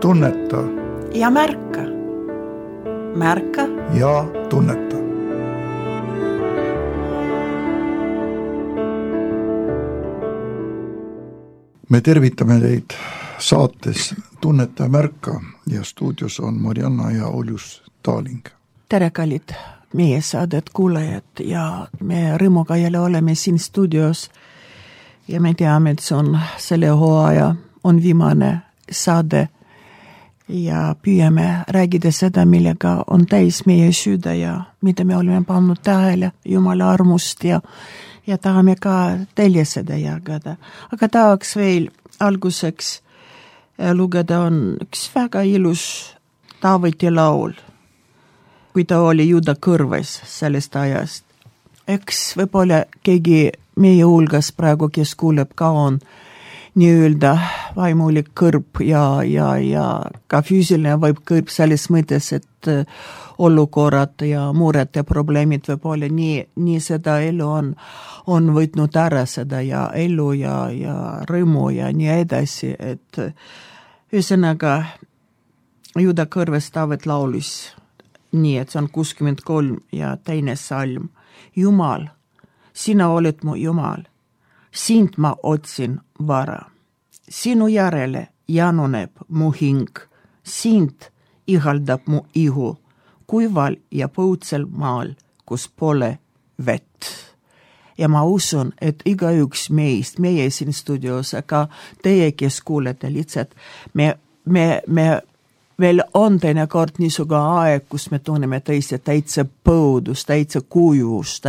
tunneta ja märka. Märka ja tunneta. Me tervitame teid saates Tunneta ja märka ja stuudios on Marianna ja Oljus Taaling. Tere kallid meie saadet kuulajad ja me rõõmuga jälle oleme siin stuudios ja me teame, et see on selle hooaja on viimane saade ja püüame räägida seda, millega on täis meie süda ja mida me oleme pannud tähele Jumala armust ja tahame ka teile seda jagada. Aga tahaks veel alguseks lugeda on üks väga ilus Taaveti laul, kui ta oli Juuda kõrves sellest ajast. Eks võib-olla keegi meie hulgas praegu, kes kuuleb ka on nii-öelda vaimulik kõrb ja ka füüsiline võib kõrb selles mõttes, et olukorrad ja mured ja probleemid võib-olla nii seda elu on võtnud ära seda ja elu ja rõõmu ja nii edasi, et ühesõnaga Juuda kõrves Taavet laulis nii, et see on 63 ja teine salm. Jumal, sina oled mu Jumal, sind ma otsin vara. Sinu järele januneb mu hing, sind ihaldab mu ihu, kuival ja põutsel maal, kus pole vett. Ja ma usun, et igaüks meist, meie siin stuudios, aga teie, kes kuulete lihtsalt, me veel on teinekord niisuga aeg, kus me tunneme täitsa põudus, täitsa kujus,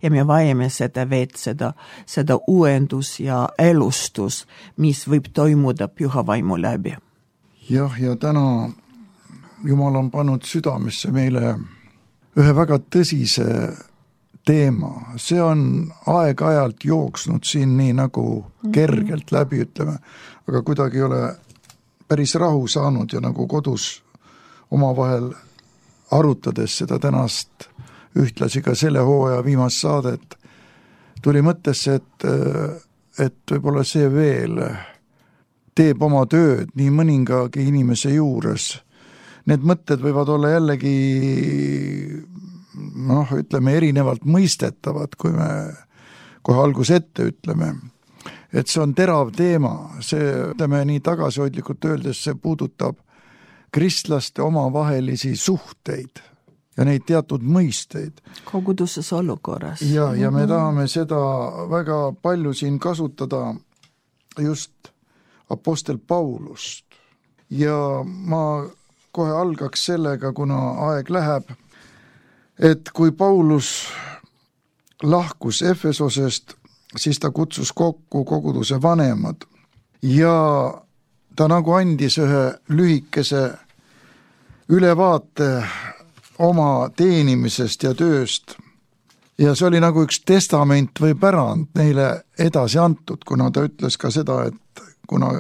ja me vajame seda vett, seda uuendus ja elustus, mis võib toimuda püha vaimu läbi. Jah, ja täna Jumal on pannud südamesse meile ühe väga tõsise teema. See on aeg-ajalt jooksnud siin nii nagu kergelt läbi, ütleme, aga kuidagi ei ole päris rahu saanud ja nagu kodus omavahel arutades seda tänast ühtlasi ka selle hooaja viimast saadet tuli mõttesse, et võib-olla see veel teeb oma tööd nii mõningagi inimese juures. Need mõtted võivad olla jällegi ütleme erinevalt mõistetavad, kui me kohe algus ette ütleme. Et see on terav teema, see, ütleme nii tagasihoidlikult öeldes, see puudutab kristlaste omavahelisi suhteid ja neid teatud mõisteid. Koguduses olukorras. Ja me tahame seda väga palju siin kasutada just apostel Paulust. Ja ma kohe algaks sellega, kuna aeg läheb, et kui Paulus lahkus Efesosest, siis ta kutsus kokku koguduse vanemad ja ta nagu andis ühe lühikese ülevaate oma teenimisest ja tööst. Ja see oli nagu üks testament või pärand neile edasi antud, kuna ta ütles ka seda, et kuna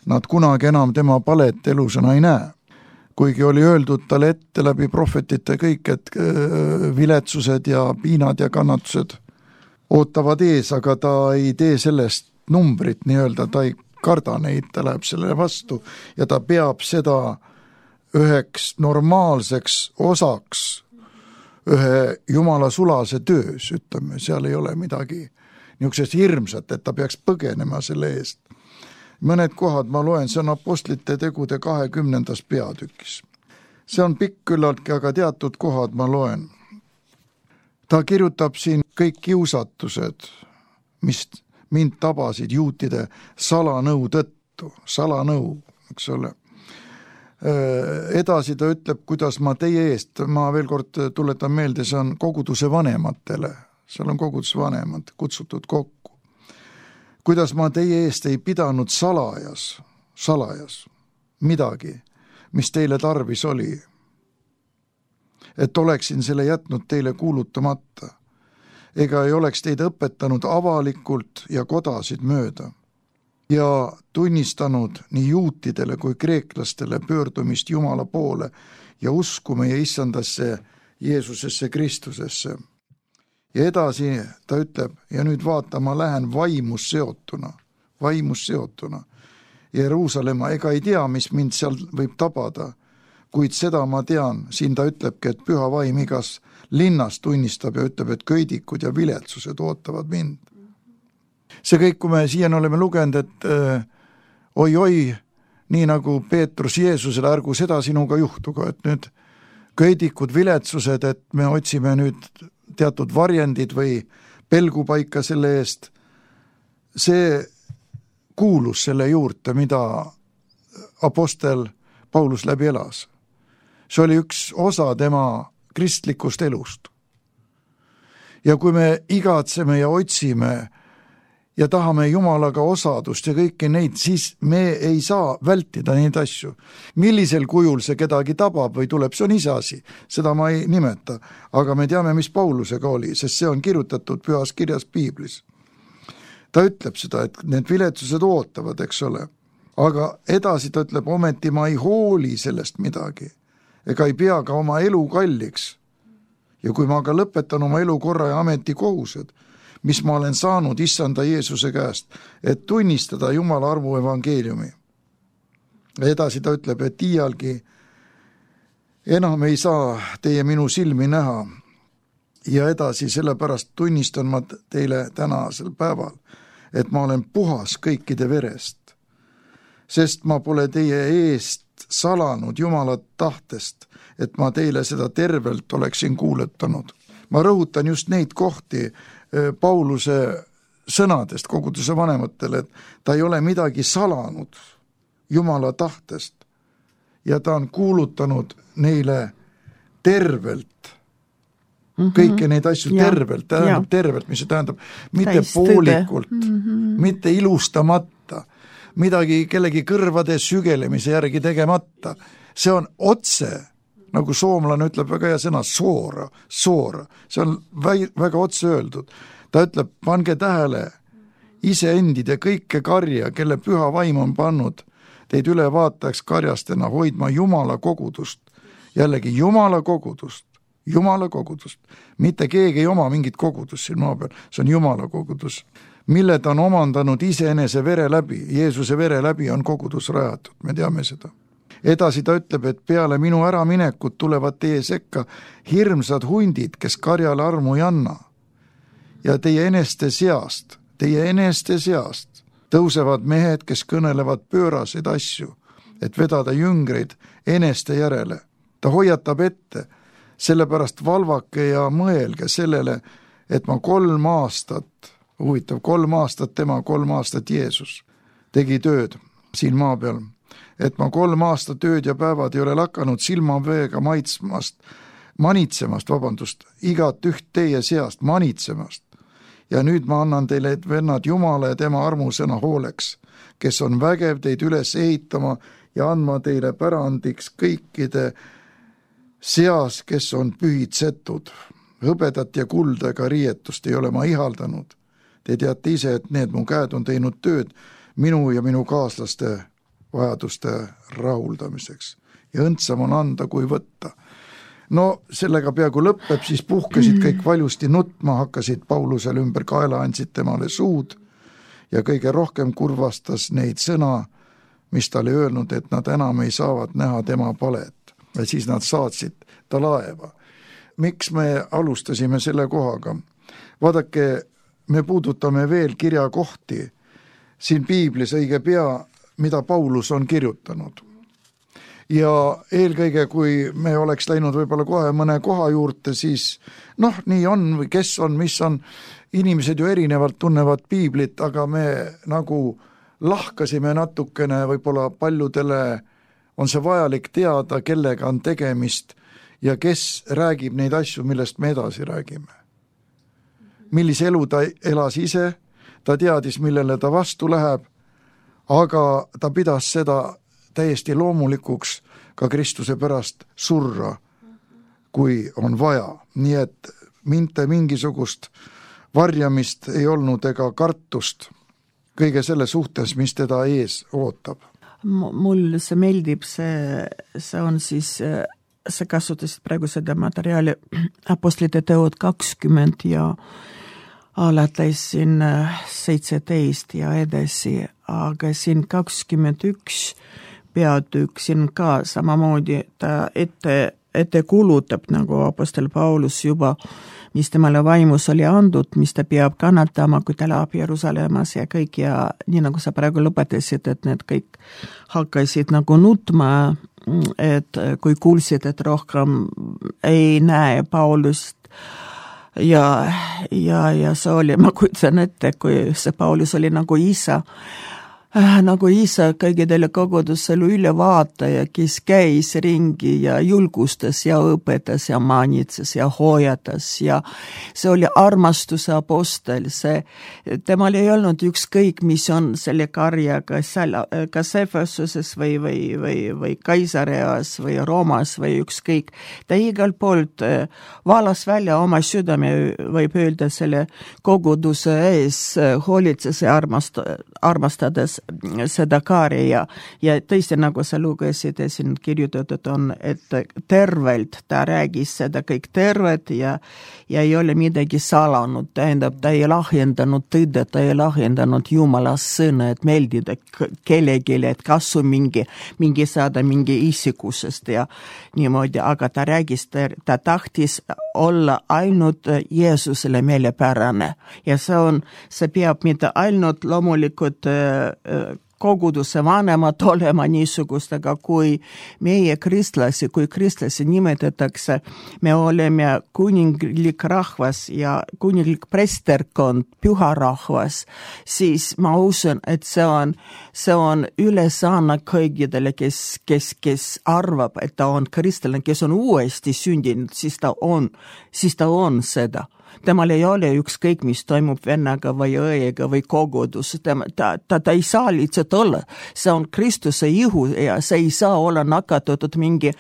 nad kunagi enam tema palet elusõna ei näe. Kuigi oli öeldud talle ette läbi prohvetite kõik, et viletsused ja piinad ja kannatused ootavad ees, aga ta ei tee sellest numbrit nii-öelda, ta ei karda neid, ta läheb sellele vastu ja ta peab seda üheks normaalseks osaks ühe Jumala sulase töös, ütleme, seal ei ole midagi niisugusest hirmsat, et ta peaks põgenema selle eest. Mõned kohad ma loen, see on apostlite tegude 20. peatükis. See on pikk küllaltki, aga teatud kohad ma loen. Ta kirjutab siin kõik kiusatused, mis mind tabasid juutide salanõu tõttu, salanõu, eks ole. Edasi ta ütleb, kuidas ma teie eest, ma veel kord tuletan meelde, see on koguduse vanematele, seal on koguduse vanemad kutsutud kokku. Kuidas ma teie eest ei pidanud salajas midagi, mis teile tarvis oli, et oleksin selle jätnud teile kuulutamata, ega ei oleks teid õpetanud avalikult ja kodasid mööda ja tunnistanud nii juutidele kui kreeklastele pöördumist Jumala poole ja usku meie issandasse Jeesusesse Kristusesse. Ja edasi ta ütleb, ja nüüd vaata, ma lähen vaimus seotuna, Jeruusalemma, ega ei tea, mis mind seal võib tabada, kuid seda ma tean, siin ta ütlebki, et püha vaim igas linnas tunnistab ja ütleb, et köidikud ja viletsused ootavad mind. See kõik, kui me siiani oleme lugenud, et oi, nii nagu Peetrus Jeesusele, ärgu seda sinuga juhtuga, et nüüd köidikud, viletsused, et me otsime nüüd teatud varjendid või pelgupaika selle eest, see kuulus selle juurde, mida apostel Paulus läbi elas. See oli üks osa tema kristlikust elust. Ja kui me igatseme ja otsime ja tahame Jumalaga osadust ja kõiki neid, siis me ei saa vältida neid asju. Millisel kujul see kedagi tabab või tuleb, see on ise asi, seda ma ei nimeta, aga me teame, mis Paulusega oli, sest see on kirjutatud pühas kirjas Piiblis. Ta ütleb seda, et need viletsused ootavad, eks ole, aga edasi ta ütleb, ometi ma ei hooli sellest midagi, ega ei pea ka oma elu kalliks. Ja kui ma ka lõpetan oma elu korra ja ametikohused, mis ma olen saanud issanda Jeesuse käest, et tunnistada Jumala armu evangeeliumi. Edasi ta ütleb, et iialgi enam ei saa teie minu silmi näha. Ja edasi sellepärast tunnistan ma teile tänasel päeval, et ma olen puhas kõikide verest, sest ma pole teie eest salanud Jumala tahtest, et ma teile seda tervelt oleksin kuuletanud. Ma rõhutan just neid kohti Pauluse sõnadest koguduse vanematele, et ta ei ole midagi salanud Jumala tahtest ja ta on kuulutanud neile tervelt kõiki neid asju tervelt, tähendab tervelt, mis see tähendab, mitte poolikult, mitte ilustamata, midagi kellegi kõrvade sügelemise järgi tegemata. See on otse, nagu soomlane ütleb väga hea sõna, soora, see on väga otse öeldud. Ta ütleb, pange tähele iseendid ja kõike karja, kelle püha vaim on pannud teid ülevaatajaks karjastena hoidma Jumala kogudust. Jällegi Jumala kogudust, mitte keegi ei oma mingit kogudust siin maa peal, see on Jumala kogudus, mille ta on omandanud iseenese vere läbi, Jeesuse vere läbi on kogudus rajatud, me teame seda. Edasi ta ütleb, et peale minu äraminekut tulevad teie sekka hirmsad hundid, kes karjale armu ei anna. Ja teie eneste seast tõusevad mehed, kes kõnelevad pööraseid asju, et vedada jüngreid eneste järele. Ta hoiatab ette, sellepärast valvake ja mõelge sellele, et ma 3 aastat, huvitav, 3 aastat tema, 3 aastat Jeesus tegi tööd siin maa peal, et ma 3 aastat tööd ja päevad ei ole lakanud silmaveega manitsemast, igat üht teie seast manitsemast. Ja nüüd ma annan teile, et vennad Jumala ja tema armusõna hooleks, kes on vägev teid üles ehitama ja andma teile pärandiks kõikide seas, kes on pühitsetud. Hõbedat ja kulda ega riietust ei ole ma ihaldanud. Te teate ise, et need mu käed on teinud tööd minu ja minu kaaslaste vajaduste rahuldamiseks. Ja õndsam on anda kui võtta. No sellega peaaegu lõpeb, siis puhkesid kõik valjusti nutma, hakkasid Paulusel ümber kaela, andsid temale suud ja kõige rohkem kurvastas neid sõna, mis ta oli öelnud, et nad enam ei saavad näha tema palet. Ja siis nad saatsid ta laeva. Miks me alustasime selle kohaga? Vaadake, me puudutame veel kirjakohti siin Piiblis õige pea, mida Paulus on kirjutanud. Ja eelkõige, kui me oleks läinud võib-olla kohe mõne koha juurde, siis nii on või kes on, mis on, inimesed ju erinevalt tunnevad Piiblit, aga me nagu lahkasime natukene, võib-olla paljudele on see vajalik teada, kellega on tegemist ja kes räägib neid asju, millest me edasi räägime. Millise elu ta elas ise, ta teadis, millele ta vastu läheb, aga ta pidas seda täiesti loomulikuks ka Kristuse pärast surra, kui on vaja. Nii et mitte mingisugust varjamist ei olnud ega kartust kõige selle suhtes, mis teda ees ootab. Mul see meeldib, see on siis, sa kasutasid praegu seda materjali Apostlite teod 20 ja alates siin 17 ja edasi, aga siin 21 peatükk siin ka samamoodi ta ette kulutab nagu apostel Paulus juba, mis temale vaimus oli andud, mis ta peab kannatama, kui ta läheb Jeruusalemmas ja kõik ja nii nagu sa praegu lõpetasid, et need kõik hakkasid nagu nutma, et kui kuulsid, et rohkem ei näe Paulust ja see oli, ma kujutan ette, kui see Paulus oli nagu isa kõigidele kogudusele ülevaataja, kes käis ringi ja julgustas ja õpetas ja manitses ja hoiatas ja see oli armastuse apostel, temal ei olnud ükskõik, mis on selle karjaga seal, kas Efesuses või Kaisareas või Roomas või ükskõik. Ta igalt poolt valas välja oma südame, võib öelda selle koguduse ees, hoolitses ja armastades seda kaari ja tõesti, nagu sa lugesid, siin kirjutatud on, et tervelt ta räägis seda kõik tervet ja ei ole midagi salanud, tähendab, ta ei lahjendanud tõde, ta ei lahjendanud Jumala sõna, et meeldida kellelegi, et kasu mingi saada mingi isikusest ja niimoodi, aga ta räägis, ta tahtis olla ainult Jeesusele meelepärane ja see peab mitte ainult loomulikult koguduse vanemad olema niisugust, aga kui meie kristlasi nimetatakse, me oleme kuninglik rahvas ja kuninglik presterkond, püha rahvas, siis ma usun, et see on ülesanne kõigidele, kes arvab, et ta on kristlane, kes on uuesti sündinud, siis ta on seda. Temal ei ole ükskõik, mis toimub vennaga või õega või kogudus. Ta ei saa lihtsalt olla. See on Kristuse ihu ja see ei saa olla nakatatud mingi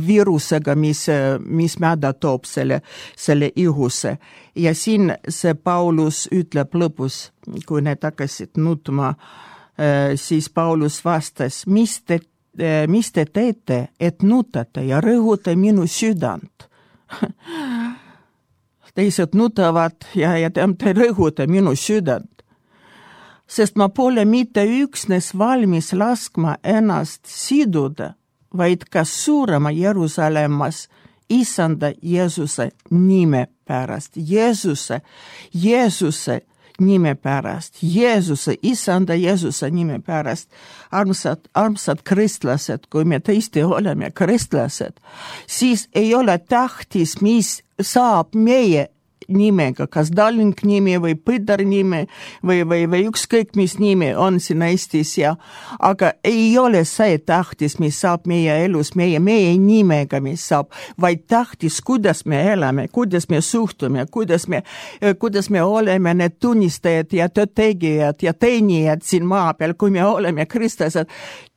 viirusega, mis mäda toob selle ihusse. Ja siin see Paulus ütleb lõpus, kui need hakkasid nutma, siis Paulus vastas, mis te teete, et nutate ja rõhuta minu südant? Teised nutavad ja te rõhuta minu südant, sest ma pole mitte üksnes valmis laskma ennast siduda, vaid ka suurema Jeruusalemmas Issanda Jeesuse nime pärast. Jeesuse nime pärast, Issanda Jeesuse nime pärast. Armsad kristlased, kui me tõesti oleme kristlased, siis ei ole tähtis, mis saab meie nimega, kas Dalling nimi või Põder nimi või ükskõik mis nimi on siin Eestis aga ei ole see tähtis, mis saab meie elus, meie nimega, mis saab, vaid tähtis, kuidas me elame, kuidas me suhtume, kuidas me oleme need tunnistajad ja töötegijad ja teenijad siin maa peal, kui me oleme kristlased.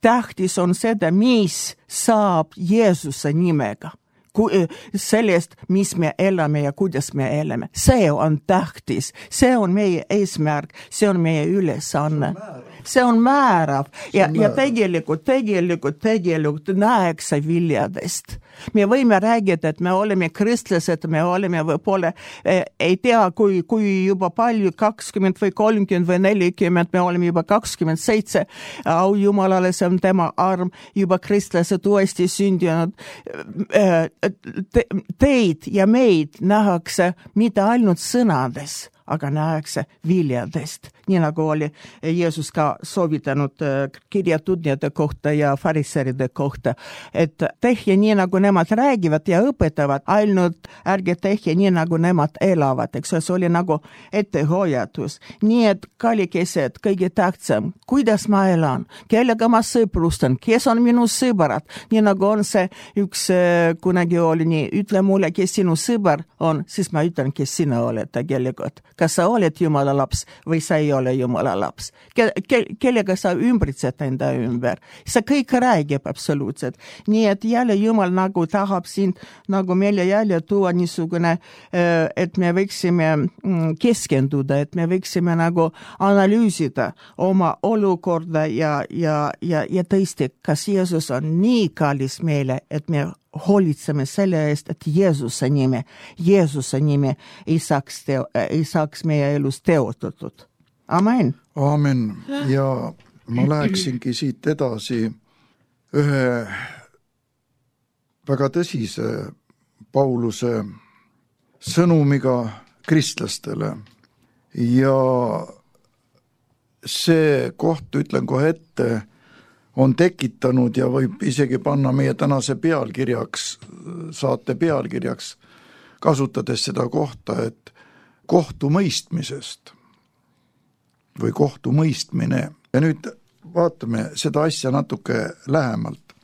Tähtis on seda, mis saab Jeesuse nimega. Sellest, mis me elame ja kuidas me elame. See on tähtis, see on meie eesmärk, see on meie ülesanne. See on määrav ja tegelikult näeks viljadest. Me võime räägida, et me oleme kristlased, me oleme võib-olla, ei tea, kui juba palju, 20 või 30 või 40, me oleme juba 27, au Jumalale, see on tema arm, juba kristlased uuesti sündinud. Teid ja meid nähakse mitte ainult sõnades, aga nähakse viljadest. Nii nagu oli Jeesus ka soovitanud kirjatundjate kohta ja fariseeride kohta, et tehke nii, nagu nemad räägivad ja õpetavad, ainult ärge tehke nii, nagu nemad elavad, eks see oli nagu ettehoiatus. Nii et kallikesed, kõige tähtsam, kuidas ma elan, kellega ma sõprustan, kes on minu sõbrad, nii nagu on see üks kunagi oli nii, ütle mulle, kes sinu sõber on, siis ma ütlen, kes sina oled tegelikult. Kas sa oled Jumala laps või sa ei ole Jumala laps? Kellega sa ümbritsed enda ümber? See kõik räägib absoluutselt. Nii et jälle Jumal nagu tahab siin nagu meile jälle tuua niisugune, et me võiksime keskenduda, et me võiksime nagu analüüsida oma olukorda ja tõesti, kas Jeesus on nii kallis meile, et me hoolitseme selle eest, et Jeesuse nime ei saaks meie elus teostatud. Amen. Aamen. Ja ma läheksingi siit edasi ühe väga tõsise Pauluse sõnumiga kristlastele. Ja see koht, ütlen kohe ette, on tekitanud ja võib isegi panna meie tänase pealkirjaks, saate pealkirjaks, kasutades seda kohta, et kohtumõistmisest või kohtumõistmine. Ja nüüd vaatame seda asja natuke lähemalt.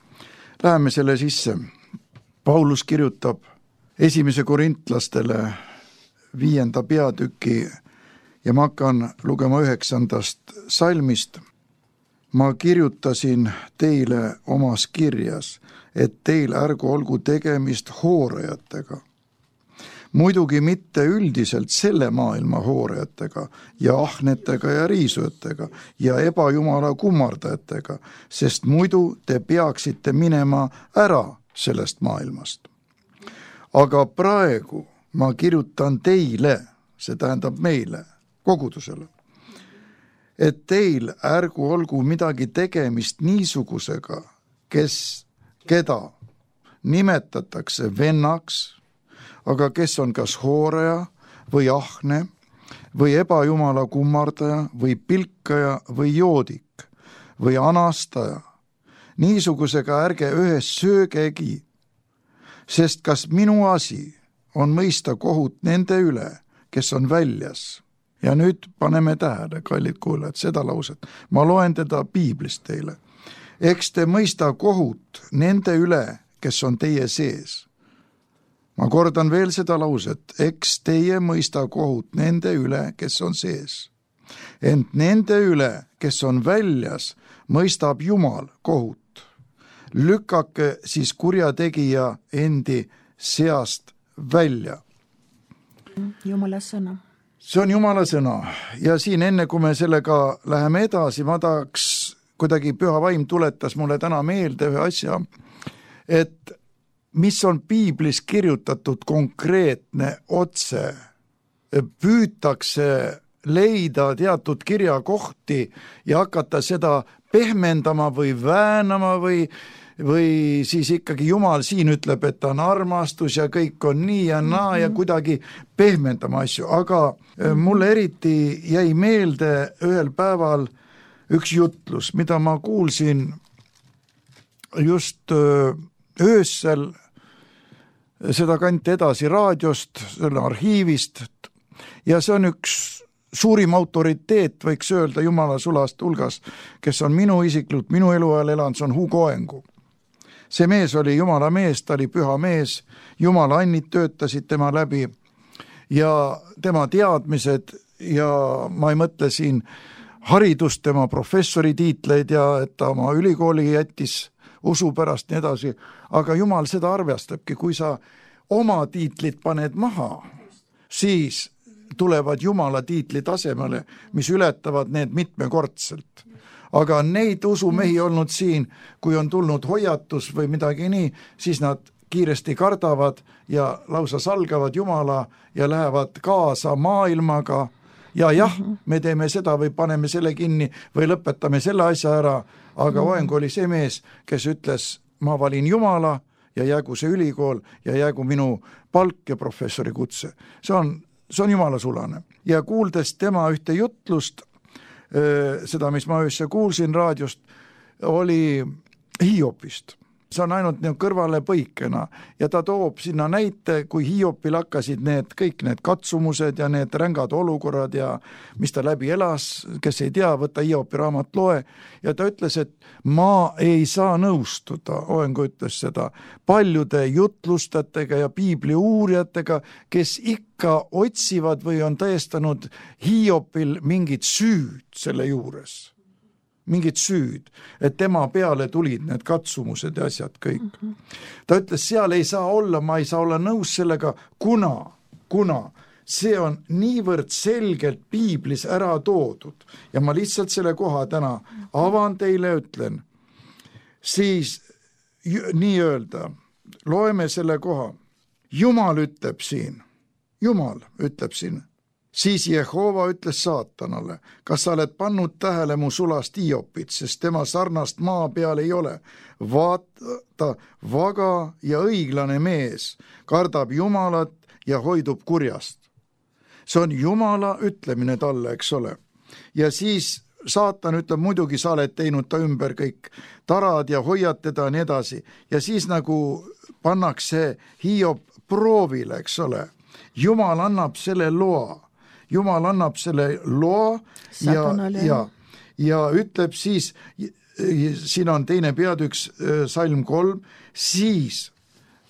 Läheme selle sisse. Paulus kirjutab 1. Korintlastele 5. peatüki ja ma hakkan lugema 9. salmist. Ma kirjutasin teile omas kirjas, et teil ärgu olgu tegemist hoorajatega. Muidugi mitte üldiselt selle maailma hoorajatega ja ahnetega ja riisujatega ja ebajumala kummardajatega, sest muidu te peaksite minema ära sellest maailmast. Aga praegu ma kirjutan teile, see tähendab meile, kogudusele, et teil ärgu olgu midagi tegemist niisugusega, keda nimetatakse vennaks, aga kes on kas hooraja või ahne või ebajumala kummardaja või pilkaja või joodik või anastaja. Niisugusega ärge ühes söögegi, sest kas minu asi on mõista kohut nende üle, kes on väljas. Ja nüüd paneme tähele, kallid kuulajad, seda lauset. Ma loen teda piiblist teile. Eks te mõista kohut nende üle, kes on teie sees. Ma kordan veel seda lauset, eks teie mõista kohut nende üle, kes on sees. Ent nende üle, kes on väljas, mõistab Jumal kohut. Lükake siis kurjategija endi seast välja. Jumala sõna. See on Jumala sõna ja siin enne, kui me sellega läheme edasi, ma tahaks kuidagi püha vaim tuletas mulle täna meelde ühe asja, et mis on piiblis kirjutatud konkreetne otse, püütakse leida teatud kirjakohti ja hakata seda pehmendama või väänama või siis ikkagi Jumal siin ütleb, et ta on armastus ja kõik on nii ja naa ja kuidagi pehmendama asju, aga mulle eriti jäi meelde ühel päeval üks jutlus, mida ma kuulsin just öösel, seda kanti edasi raadiost, selle arhiivist ja see on üks suurim autoriteet, võiks öelda Jumala sulast hulgas, kes on minu isiklikult, minu eluajal elanud, see on Hugo Engu. See mees oli Jumala mees, ta oli püha mees, Jumala annid töötasid tema läbi ja tema teadmised ja ma ei mõtle siin haridust, tema professori tiitleid ja et ta oma ülikooli jättis usu pärast nii edasi, aga Jumal seda arvestabki, kui sa oma tiitlid paned maha, siis tulevad Jumala tiitli tasemele, mis ületavad need mitmekordselt. Aga neid usumehi olnud siin, kui on tulnud hoiatus või midagi nii, siis nad kiiresti kardavad ja lausa salgavad Jumala ja lähevad kaasa maailmaga ja jah, me teeme seda või paneme selle kinni või lõpetame selle asja ära, aga Oeng oli see mees, kes ütles, ma valin Jumala ja jäägu see ülikool ja jäägu minu palk ja professori kutse. See on Jumala sulane. Ja kuuldes tema ühte jutlust, seda, mis ma öösse kuulsin raadiost, oli Hiopist. See on ainult kõrvale põikena ja ta toob sinna näite, kui Hiopil hakkasid kõik need katsumused ja need rängad olukorrad ja mis ta läbi elas, kes ei tea, võta Hiopi raamat loe ja ta ütles, et ma ei saa nõustuda, Oengu ütles seda, paljude jutlustajatega ja piibli uurijatega, kes ikka otsivad või on tõestanud Hiopil mingit süüd selle juures. Mingit süüd, et tema peale tulid need katsumused ja asjad kõik. Ta ütles, seal ei saa olla, ma ei saa olla nõus sellega, kuna see on niivõrd selgelt piiblis ära toodud ja ma lihtsalt selle koha täna avan teile, ütlen, siis nii öelda, loeme selle koha. Jumal ütleb siin, Siis Jehova ütles saatanale, kas sa oled pannud tähele mu sulast Hiopit, sest tema sarnast maa peal ei ole. Vaata, vaga ja õiglane mees kardab Jumalat ja hoidub kurjast. See on Jumala ütlemine talle, eks ole. Ja siis saatan ütleb, muidugi sa oled teinud ta ümber kõik tarad ja hoiad teda nii edasi. Ja siis nagu pannakse Hiop proovile, eks ole. Jumal annab selle loa. Jumal annab selle loa ja ütleb siis, siin on teine peatüks, salm 3, siis,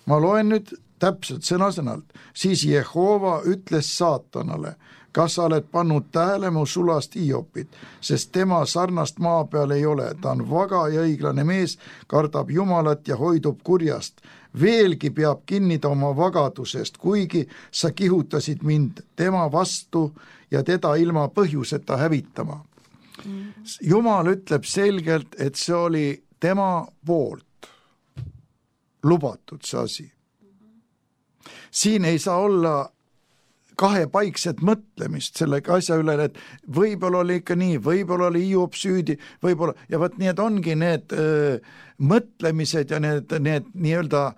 ma loen nüüd täpselt sõna-sõnalt, siis Jehova ütles saatanale, kas sa oled pannud tähele mu sulast Hiopit, sest tema sarnast maa peal ei ole, ta on vaga ja õiglane mees, kardab Jumalat ja hoidub kurjast. Veelgi peab kinnida oma vagadusest, kuigi sa kihutasid mind tema vastu ja teda ilma põhjuseta hävitama. Jumal ütleb selgelt, et see oli tema poolt lubatud see asi. Siin ei saa olla kahepaikset mõtlemist selle asja üle, et võib-olla oli ikka nii, võib-olla oli Hiop süüdi, võib-olla, ja võt need ongi need mõtlemised ja need nii-öelda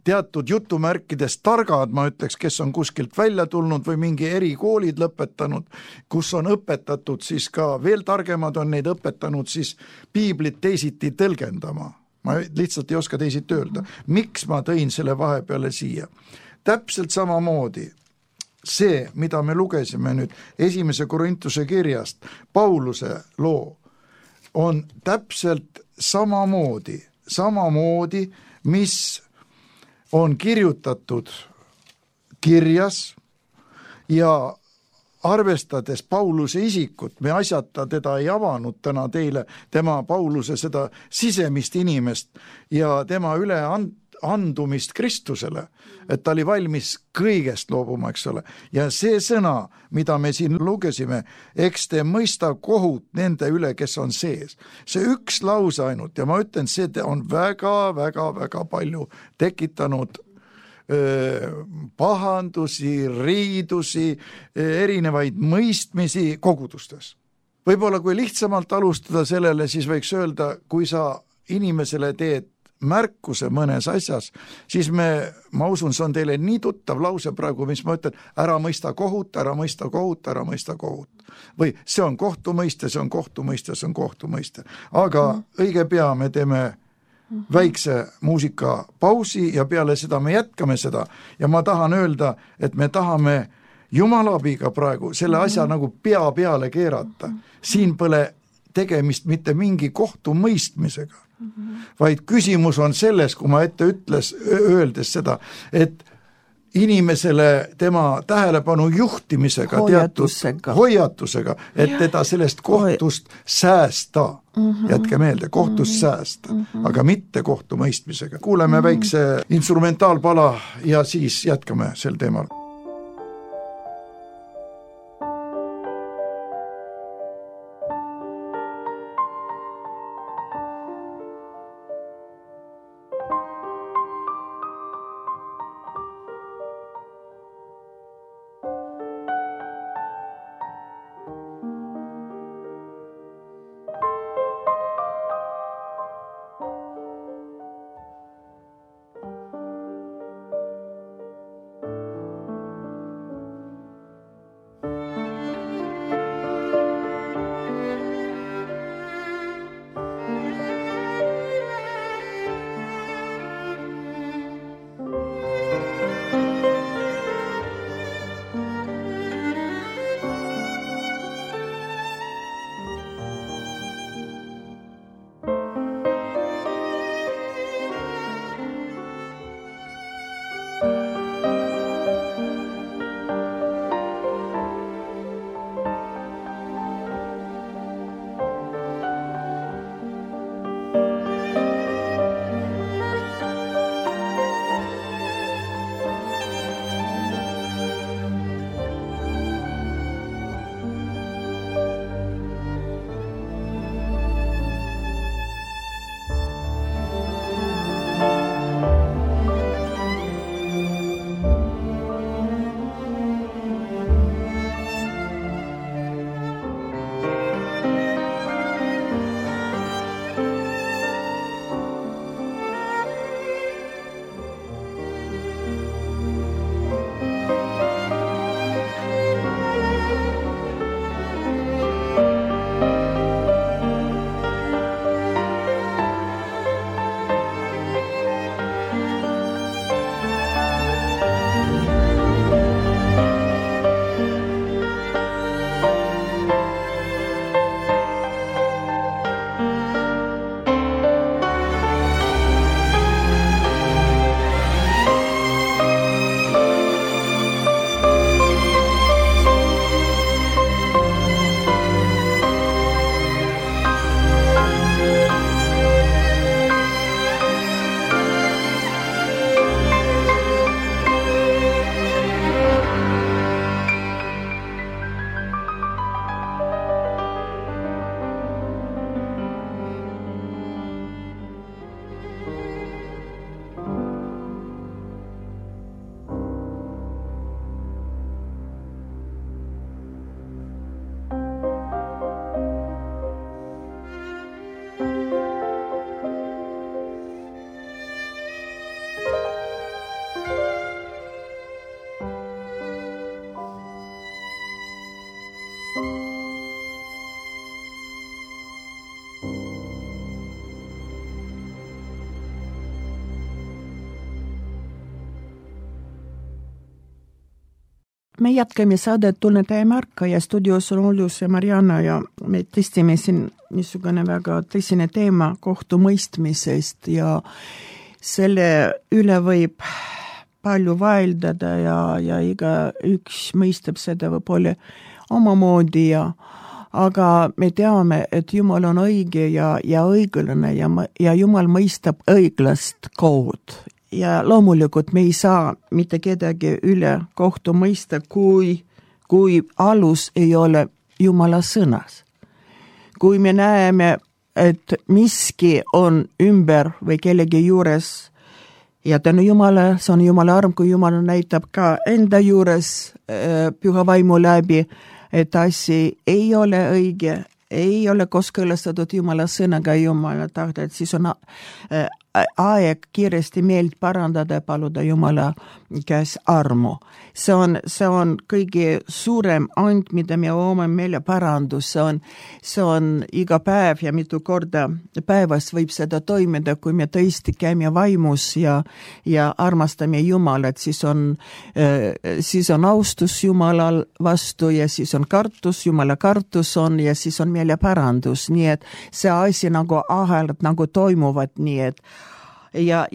teatud jutumärkides targad, ma ütleks, kes on kuskilt välja tulnud või mingi erikoolid lõpetanud, kus on õpetatud siis ka, veel targemad on neid õpetanud siis piiblit teisiti tõlgendama. Ma lihtsalt ei oska teisiti öelda. Miks ma tõin selle vahepeale siia? Täpselt samamoodi see, mida me lugesime nüüd 1. Korintuse kirjast, Pauluse loo, on täpselt samamoodi, mis on kirjutatud kirjas ja arvestades Pauluse isikut, me asjata teda ei avanud täna teile, tema Pauluse seda sisemist inimest ja tema üleandumist Kristusele, et ta oli valmis kõigest loobuma, eks ole. Ja see sõna, mida me siin lugesime, eks te mõista kohut nende üle, kes on sees. See üks lause ainult ja ma ütlen, see on väga palju tekitanud pahandusi, riidusi, erinevaid mõistmisi kogudustes. Võib-olla kui lihtsamalt alustada sellele, siis võiks öelda, kui sa inimesele teed märkuse mõnes asjas, siis ma usun, see on teile nii tuttav lause praegu, mis ma ütlen, ära mõista kohut, ära mõista kohut, ära mõista kohut. Või see on kohtumõiste, see on kohtumõiste, see on kohtumõiste. Aga õige pea me teeme väikse muusikapausi ja peale seda me jätkame seda ja ma tahan öelda, et me tahame Jumala abiga praegu selle asja nagu pea peale keerata. Siin pole tegemist mitte mingi kohtumõistmisega, vaid küsimus on selles, kui ma ette öeldes seda, et inimesele tema tähelepanu juhtimisega, hoiatusega, et teda sellest kohtust säästa. Jätke meelde, kohtust säästa, aga mitte kohtumõistmisega. Kuuleme väikse instrumentaalpala ja siis jätkame sel teemal. me jätkame saadet Tunnetaja Marka ja stuudios on Oljus ja Marianna ja me tõstime siin niisugune väga tõsine teema kohtumõistmisest ja selle üle võib palju vaeldada ja iga üks mõistab seda võib-olla omamoodi aga me teame, et Jumal on õige ja õiglane ja Jumal mõistab õiglast kohut. Ja loomulikult me ei saa mitte kedagi üle kohtu mõista, kui alus ei ole Jumala sõnas. Kui me näeme, et miski on ümber või kellegi juures ja tänu Jumala, see on Jumala arm, kui Jumal näitab ka enda juures püha vaimu läbi, et asi ei ole õige, ei ole kooskõlastatud Jumala sõnaga Jumala tahte, et siis on aeg kiiresti meelt parandada ja paluda Jumala käes armu. See on kõige suurem and, mida me omame meile parandus. See on iga päev ja mitu korda päevas võib seda toimida, kui me tõesti käime vaimus ja armastame Jumalat, siis on austus Jumalal vastu ja siis on kartus, Jumala kartus on ja siis on meile parandus. Nii et see asi nagu ahelad nagu toimuvad, nii et ja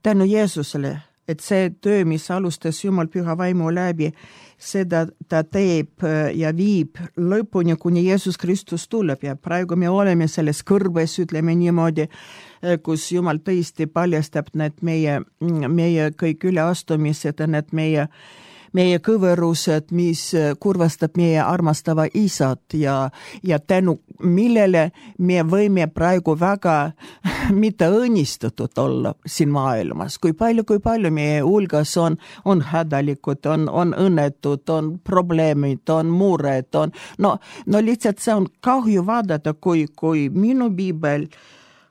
tänu Jeesusele, et see töö, mis alustas Jumal püha vaimu läbi, seda ta teeb ja viib lõpuni, kuni Jeesus Kristus tuleb ja praegu me oleme selles kõrbes, ütleme niimoodi, kus Jumal tõesti paljastab need meie kõik üleastumised ja need meie kõverused, mis kurvastab meie armastava isat ja tänu millele me võime praegu väga mitte õnnistatud olla siin maailmas. Kui palju meie hulgas on hädalikud, on õnnetud, on probleemid, on mured, no lihtsalt see on kahju vaadata, kui minu piibel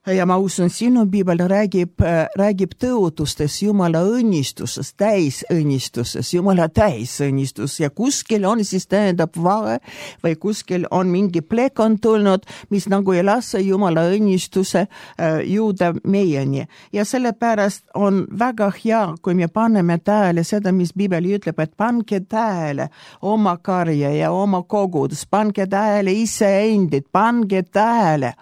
ja ma usun, sinu piibel räägib tõotustes Jumala õnnistusest, täisõnnistusest, Jumala täisõnnistus ja kuskil on siis tähendab vahe või kuskil on mingi plek on tulnud, mis nagu ei lase Jumala õnnistuse jõuda meieni. Ja sellepärast on väga hea, kui me paneme tähele seda, mis piibel ütleb, et pange tähele oma karja ja oma kogudus, pange tähele iseendid, pange tähele.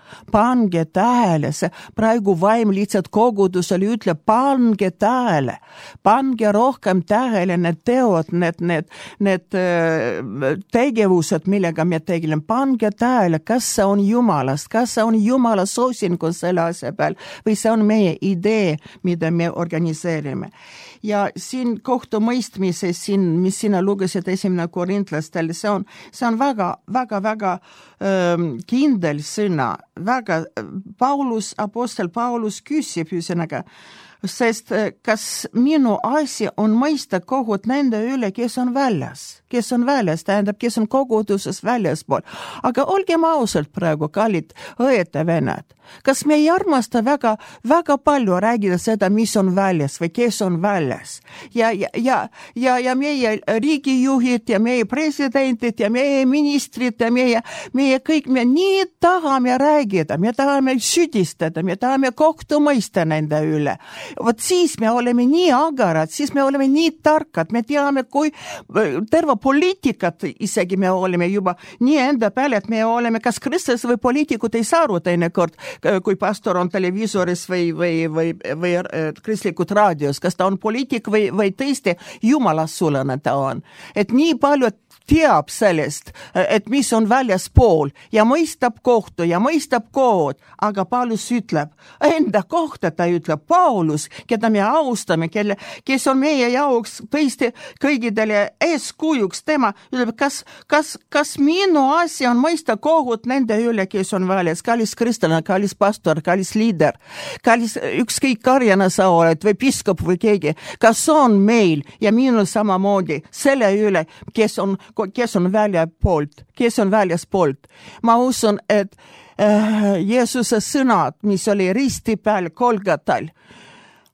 Praegu vaim lihtsalt kogudusel ütleb, pange tähele, pange rohkem tähele need teod, need tegevused, millega me tegeleme, pange tähele, kas see on Jumalast, kas see on Jumala soosingu selle asja peal või see on meie idee, mida me organiseerime. Ja siin kohtumõistmises, mis sina lugesid 1. Korintlastel, see on väga kindel sõna, apostel Paulus küsib ühesõnaga, sest kas minu asi on mõista kohut nende üle, kes on väljas, tähendab, kes on koguduses väljaspool. Aga olgem ausalt praegu, kallid õed ja venad, kas me ei armasta väga palju räägida seda, mis on väljas või kes on väljas? Ja meie riigijuhid ja meie presidentid ja meie ministrid ja meie kõik, me nii tahame räägida, me tahame süüdistada, me tahame kohtu mõista nende üle. Vot siis me oleme nii agarad, siis me oleme nii tarkad, me teame, kui terve poliitikat isegi me oleme juba nii enda peale, et me oleme kas kristlus või poliitikud ei saa aru teinekord, kui pastor on televiisoris või kristlikud raadios, kas ta on poliitik või tõesti jumalassulane ta on. Et nii palju teab sellest, et mis on väljaspool ja mõistab kohtu ja mõistab kohut, aga Paulus ütleb, enda kohta ta ütleb, Paulus, keda me austame, kes on meie jaoks tõesti kõigidele eeskujuks, tema ütleb, kas minu asi on mõista kohut nende üle, kes on väljas, kallis kristlane, kallis pastor, kallis liider, kallis ükskõik karjana sa oled või piskop või keegi, kas on meil ja minul samamoodi selle üle, kes on väljaspoolt. Ma usun, et Jeesuse sõnad, mis oli risti peal Golgatal,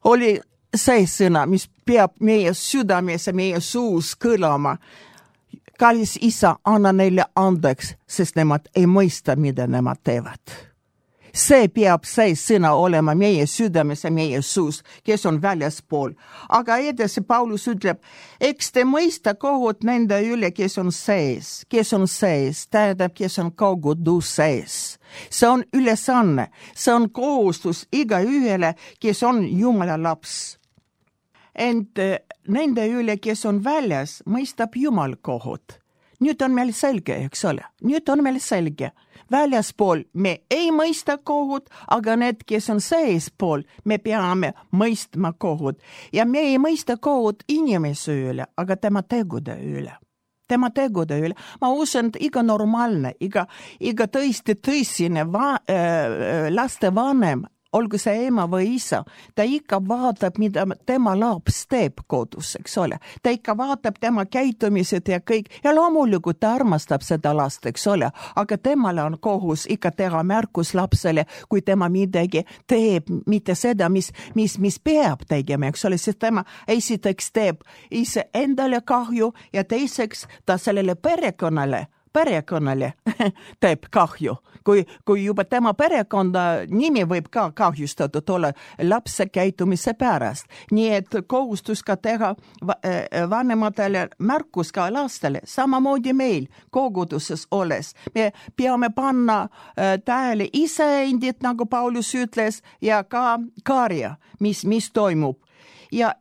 oli see sõna, mis peab meie südames ja meie suus kõlama. Kallis isa, anna neile andeks, sest nemad ei mõista, mida nemad teevad. See peab see sõna olema meie südames ja meie suus, kes on väljaspool. Aga edasi Paulus ütleb, eks te mõista kohut nende üle, kes on sees, tähendab, kes on kogudus sees. See on ülesanne, see on kohustus igaühele, kes on Jumala laps. Ent nende üle, kes on väljas, mõistab Jumal kohut. Nüüd on meil selge, eks ole? Nüüd on meil selge. Väljaspool me ei mõista kohut, aga need, kes on seespool, me peame mõistma kohut. Ja me ei mõista kohut inimese üle, aga tema tegude üle. Ma usun, et iga normaalne, iga tõesti tõsine laste vanem, olgu see ema või isa, ta ikka vaatab, mida tema laps teeb kodus, eks ole. Ta ikka vaatab tema käitumised ja kõik. Ja loomulikult ta armastab seda last, eks ole. Aga temale on kohus ikka teha märkus lapsele, kui tema midagi teeb, mitte seda, mis peab tegema, eks ole. Sest tema esiteks teeb ise endale kahju ja teiseks ta sellele perekonnale teeb kahju. Kui juba tema perekonda nimi võib ka kahjustatud olla lapse käitumise pärast. Nii et kohustus ka teha vanematele märkus ka lastele. Samamoodi meil koguduses olles. Me peame panna tähele iseendid, nagu Paulus ütles, ja ka karja, mis toimub. Ja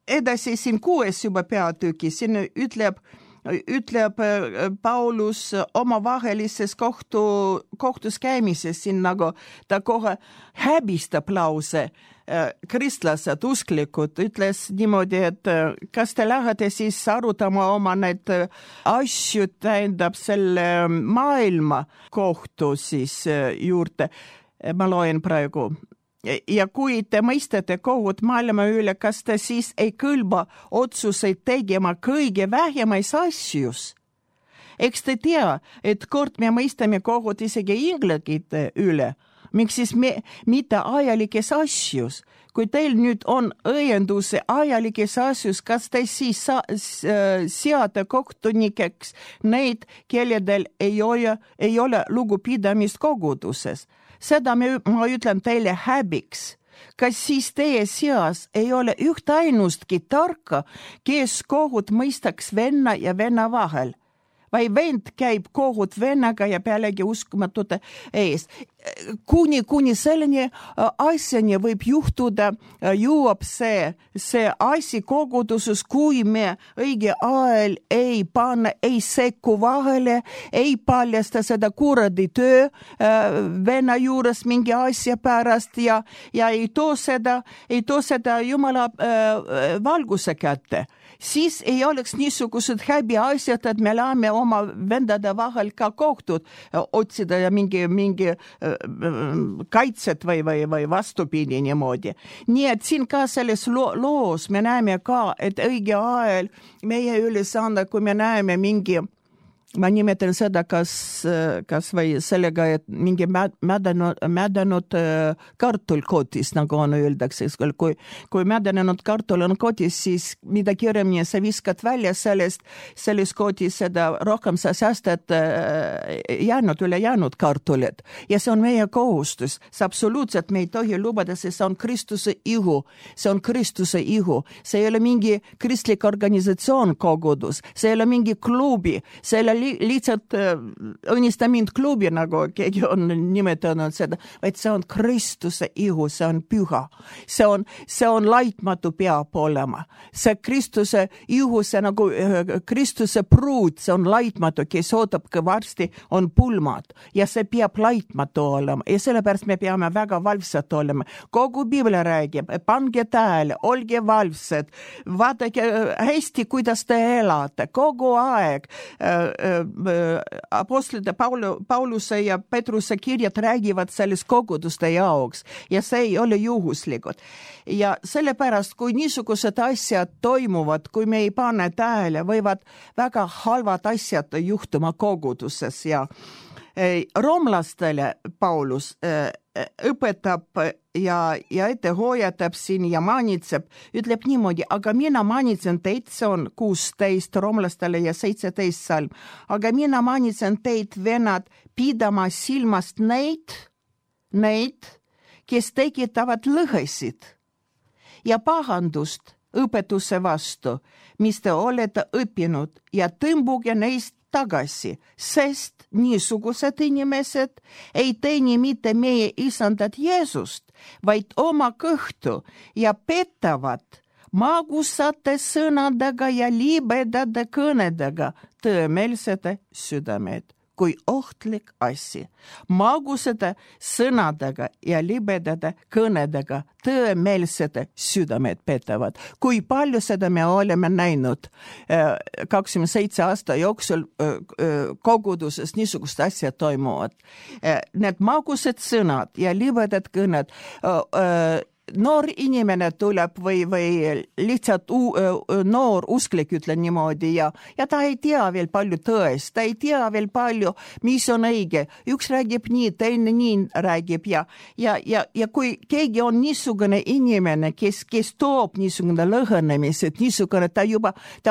edasi siin 6 juba peatüki, siin ütleb Paulus omavahelises kohtus käimises, siin nagu ta kohe häbistab lause. Kristlased, usklikud, ütles niimoodi, et kas te lähete siis arutama oma need asju, tähendab selle maailma kohtu siis juurde. Ma loen praegu. Ja kui te mõistate kohut maailma üle, kas te siis ei kõlba otsuseid tegema kõige vähemais asjus? Eks te tea, et kord me mõistame kohut isegi inglakite üle, miks siis mitte ajalikes asjus? Kui teil nüüd on õienduse ajalikes asjus, kas te siis seate kohtunikeks neid, kelledel ei ole lugupidamist koguduses? Seda ma ütlen teile häbiks. Kas siis teie seas ei ole üht ainustki tarka, kes kohut mõistaks venna ja venna vahel? Vai vend käib kohut vennaga ja pealegi uskumatute ees. Kuni selleni asjani võib juhtuda, jõuab see asi koguduses, kui me õige ajal ei panna, ei sekku vahele, ei paljasta seda kuradi töö venna juures mingi asja pärast ja ei too seda Jumala valguse kätte. Siis ei oleks niisugused häbi asjad, et me läheme oma vendade vahel ka kohtud otsida ja mingi kaitset või vastupidi niimoodi. Nii et siin ka selles loos me näeme ka, et õige ajal meie ülesanne, kui me näeme mingi, ma nimetan seda kas või sellega, et mingi mädanud kartul kotis, nagu on öeldakse. Kui mädanenud kartul on kotis, siis mida kiiremini sa viskad välja sellest kotis, seda rohkem sa säästad ülejäänud kartulit. Ja see on meie kohustus. See absoluutselt me ei tohi lubada, sest see on Kristuse ihu. See on Kristuse ihu. See ei ole mingi kristlik organisatsioon kogudus. See ei ole mingi klubi. See ei ole lihtsalt õnnista mind klubi, nagu keegi on nimetanud seda, vaid see on Kristuse ihu, see on püha. See on laitmatu peab olema. See Kristuse ihu, see nagu Kristuse pruut, see on laitmatu, kes ootab, kui varsti on pulmad. Ja see peab laitmatu olema. Ja sellepärast me peame väga valvsad olema. Kogu Biblia räägib, pange tähele, olge valvsad, vaadake hästi, kuidas te elate, kogu aeg. Apostlite Pauluse ja Petruse kirjad räägivad sellest koguduste jaoks ja see ei ole juhuslikud. Ja sellepärast, kui niisugused asjad toimuvad, kui me ei pane tähele, võivad väga halvad asjad juhtuma koguduses ja roomlastele Paulus õpetab ja ette hoiatab siin ja manitseb, ütleb niimoodi, aga mina manitsen teid, see on 16 roomlastele ja 17 salm, aga mina manitsen teid, venad, pidama silmast neid, neid, kes tekitavad lõhesid ja pahandust õpetuse vastu, mis te olete õppinud ja tõmbuge neist tagasi, sest niisugused inimesed ei teeni mitte meie isandat Jeesust, vaid oma kõhtu ja petavad magusate sõnadega ja libedade kõnedega tõemeelsete südamed. Kui ohtlik asi. Magusate sõnadega ja libedade kõnedega tõemeelsete südamed petavad. Kui palju seda me oleme näinud 27 aasta jooksul koguduses niisugust asja toimuvad. Need magusad sõnad ja libedad kõned noor inimene tuleb või lihtsalt noor usklik, ütlen niimoodi, ja ta ei tea veel palju tõest, ta ei tea veel palju, mis on õige. Üks räägib nii, teine nii räägib ja kui keegi on niisugune inimene, kes toob niisugune lõhenemised, niisugune, ta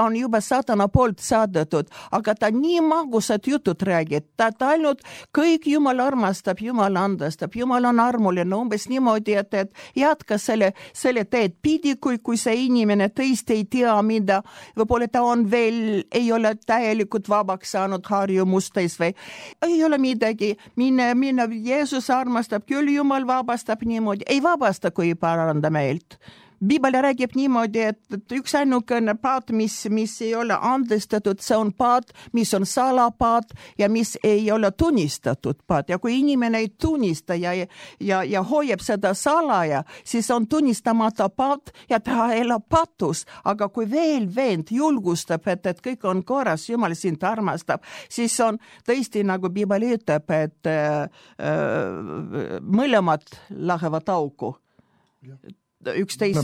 on juba saatana poolt saadetud, aga ta nii magusad jutud räägib, ta ainult kõik Jumal armastab, Jumal andestab, Jumal on armuline, umbes niimoodi, et jätka selle teed pidi, kui see inimene tõesti ei tea, mida, võib-olla ta on veel, ei ole täielikult vabaks saanud harjumustes või ei ole midagi, mine, Jeesus armastab, küll Jumal vabastab niimoodi, ei vabasta, kui ei paranda meelt. Piibel räägib niimoodi, et üks ainukene paat, mis ei ole andestatud, see on paat, mis on salapaat ja mis ei ole tunnistatud paat. Ja kui inimene ei tunnista ja hoiab seda salaja, siis on tunnistamata paat ja ta elab patus. Aga kui veel vend julgustab, et kõik on korras, Jumal sind armastab, siis on tõesti, nagu Piibel ütleb, et mõlemad lähevad auku. Üksteise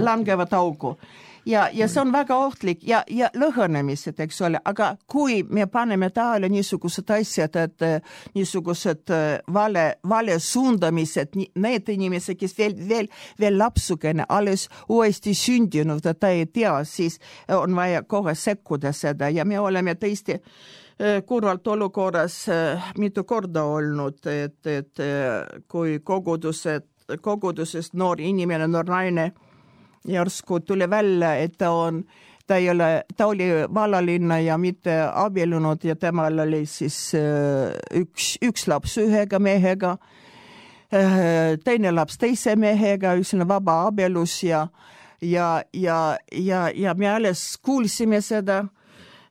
langevad augu. Ja see on väga ohtlik ja lõhenemised, eks ole, aga kui me paneme taale niisugused asjad, et niisugused vale suundamised, need inimesed, kes veel lapsukene, alles uuesti sündinud, ta ei tea, siis on vaja kohe sekkuda seda ja me oleme tõesti kurvalt olukorras mitu korda olnud, et kui kogudusest noor inimene, noor naine järsku tuli välja, et ta oli vallalinna ja mitte abiellunud ja temal oli siis üks laps ühega mehega, teine laps teise mehega, üksina vaba abielus ja me alles kuulsime seda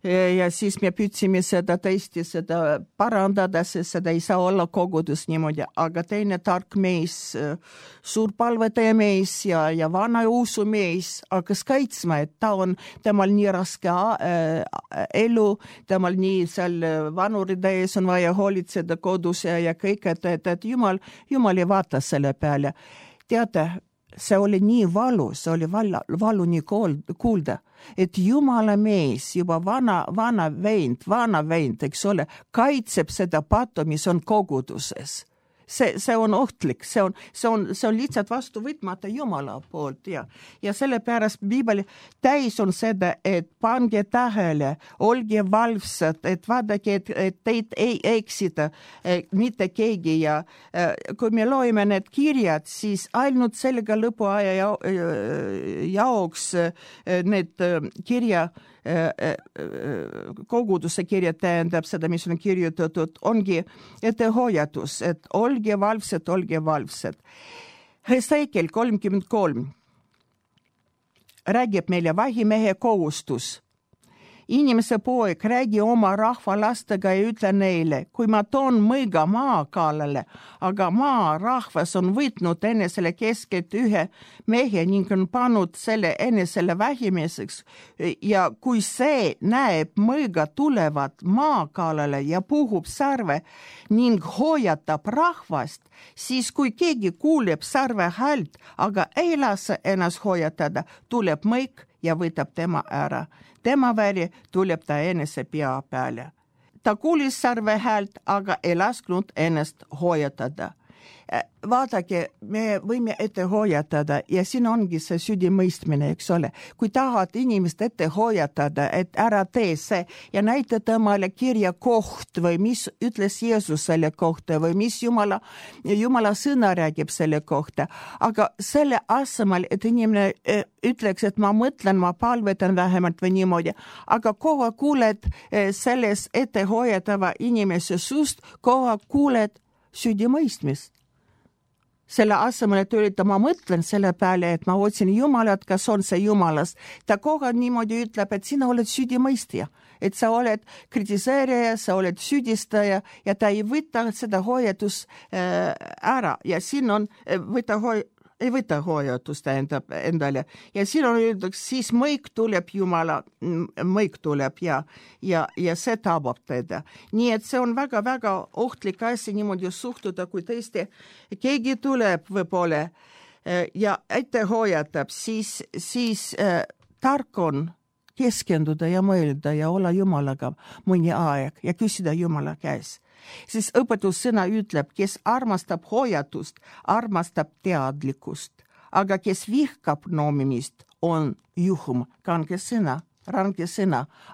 ja siis me püüdsime seda tõesti parandada, sest seda ei saa olla kogudus niimoodi, aga teine tark mees, suur palvetaja mees ja vana usu mees hakkas kaitsma, et temal nii raske elu, temal nii seal vanuride ees on vaja hoolitseda kodus ja kõik, et Jumal ei vaata selle peale. Teate, see oli nii valu, see oli valu nii kuulda, et Jumala mees, juba vana vend, eks ole, kaitseb seda pattu, mis on koguduses. See on ohtlik, see on lihtsalt vastu võtmata Jumala poolt ja sellepärast Piibel täis on seda, et pange tähele, olge valvsad, et vaadake, et teid ei eksita mitte keegi ja kui me loeme need kirjad, siis ainult sellega lõpuaja jaoks need kirja koguduse kirja tähendab seda, mis on kirjutatud, ongi ettehoiatus, et olge valvsad. Hesekiel 33 räägib meile vahimehe kohustus. Inimese poeg, räägi oma rahva lastega ja ütle neile, kui ma toon mõiga maa kallale, aga maa rahvas on võtnud enesele keskelt ühe mehe ning on pannud selle enesele vähimeseks ja kui see näeb mõiga tulevat maa kallale ja puhub sarve ning hoiatab rahvast, siis kui keegi kuuleb sarve häält, aga ei lase ennast hoiatada, tuleb mõik ja võtab tema ära. Tema väli tuleb ta enese pea peale. Ta kuulis sarve häält, aga ei lasknud ennast hoiatada. vaadake, me võime ette hoiatada ja siin ongi see süüdimõistmine, eks ole. Kui tahad inimest ette hoiatada, et ära tee see ja näita temale kirja koht või mis ütles Jeesus selle kohta või mis Jumala sõna räägib selle kohta. Aga selle asemel, et inimene ütleks, et ma mõtlen, ma palvetan vähemalt või niimoodi, aga kogu kuuled selles ette hoiatava inimese suust, kogu kuuled süüdimõistmist. Selle asemel, et öelda, ma mõtlen selle peale, et ma otsin Jumalat, kas on see Jumalas. Ta kogu niimoodi ütleb, et sina oled süüdimõistja, et sa oled kritiseerija, sa oled süüdistaja ja ta ei võta seda hoiatus ära ja siin on ei võta hoiatust endale. Ja siin on öeldud, siis mõik tuleb Jumala, mõik tuleb ja see tabab teda. Nii et see on väga-väga ohtlik asi niimoodi suhtuda, kui tõesti keegi tuleb võib-olla ja ette hoiatab, siis tark on keskenduda ja mõelda ja olla Jumalaga mõni aeg ja küsida Jumala käes. Siis õpetussõna ütleb, kes armastab hoiatust, armastab teadlikkust, aga kes vihkab noomimist, on juhum, range sõna,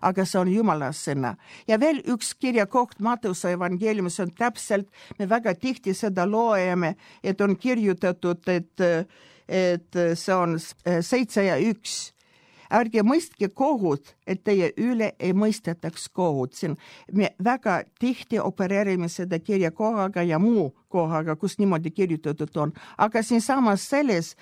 aga see on Jumala sõna. Ja veel üks kirjakoht Matteuse evangeeliumis on täpselt, me väga tihti seda loeme, et on kirjutatud, et see on 7 ja 1. Ärge mõistke kohut, et teie üle ei mõistetaks kohut. Siin me väga tihti opereerime seda kirjakohaga ja muu kohaga, kus niimoodi kirjutatud on. Aga siin samas selles